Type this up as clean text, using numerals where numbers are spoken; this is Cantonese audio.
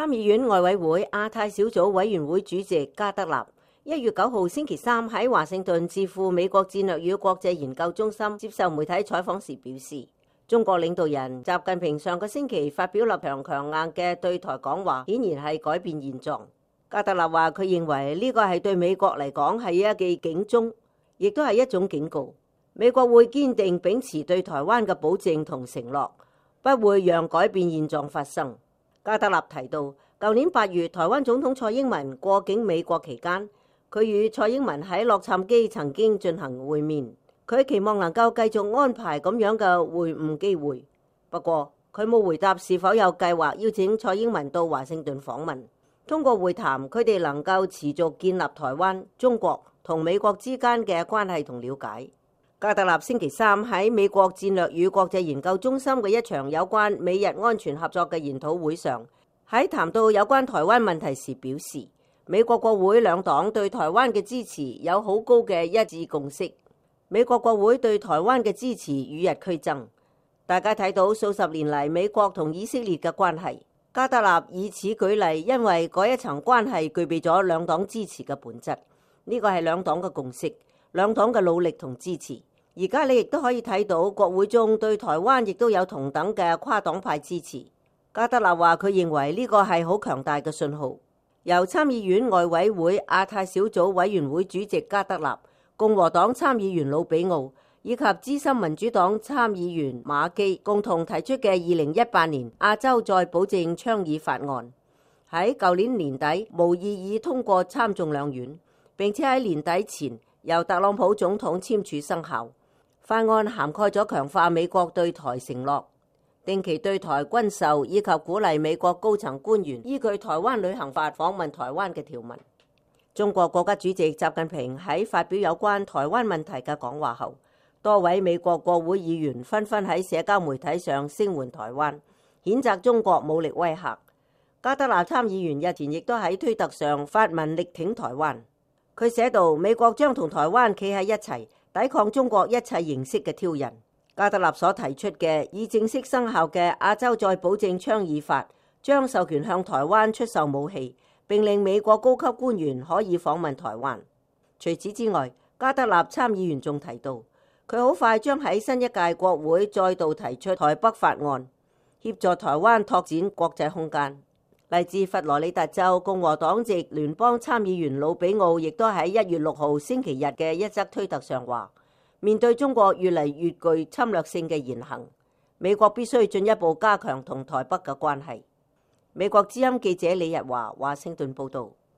參議院外委會亞太小組委員會主席加德納1月9號星期三喺華盛頓智庫美國戰略與國際研究中心接受媒體採訪時表示，中國領導人習近平上個星期發表立場強硬嘅對台講話，顯然係改變現狀。加德納話佢認為呢個係對美國嚟講係一記警鐘，亦都係一種警告。美國會堅定秉持對台灣嘅保證同承諾，不會讓改變現狀發生。加德納提到，舊年8月台灣總統蔡英文過境美國期間，佢與蔡英文喺洛杉磯曾經進行會面，佢期望能夠繼續安排咁樣嘅會晤機會。不過佢冇回答是否有計劃邀請蔡英文到華盛頓訪問。通過會談，佢哋能夠持續建立台灣、中國同美國之間嘅關係同了解。加德納星期三喺美國戰略與國際研究中心嘅一場有關美日安全合作嘅研討會上，喺談到有關台灣問題時表示，美國國會兩黨對台灣嘅支持有好高嘅一致共識。美國國會對台灣嘅支持與日俱增，大家睇到數十年嚟美國同以色列嘅關係。加德納以此舉例，因為嗰一層關係具備咗兩黨支持嘅本質，呢個係兩黨嘅共識，兩黨嘅努力同支持。而家你亦都可以睇到國會中對台灣亦都有同等嘅跨黨派支持。加德納話佢認為呢個係好強大嘅信號。由參議院外委會亞太小組委員會主席加德納、共和黨參議員魯比奧以及資深民主黨參議員馬基共同提出嘅2018年亞洲再保證倡議法案，喺舊年年底無異議通過參眾兩院，並且喺年底前由特朗普總統簽署生效。法案涵蓋咗強化美國對台承諾、定期對台軍售以及鼓勵美國高層官員依據台灣旅行法訪問台灣嘅條文。中國國家主席習近平喺發表有關台灣問題嘅講話後，多位美國國會議員紛紛喺社交媒體上聲援台灣，譴責中國武力威嚇。加德納參議員日前亦都喺推特上發文力挺台灣，佢寫道：美國將同台灣企喺一齊，抵抗中國一切形式嘅挑釁。加德納所提出嘅已正式生效嘅亞洲再保證倡議法，將授權向台灣出售武器，並令美國高級官員可以訪問台灣。除此之外，加德納參議員仲提到，佢好快將喺新一屆國會再度提出台北法案，協助台灣拓展國際空間。嚟自佛羅里達州共和黨籍聯邦參議員魯比奧亦都喺1月6號星期日嘅一則推特上話，面對中國越嚟越具侵略性嘅言行，美國必須進一步加強同台北嘅關係。美國之音記者李日華華盛頓報道。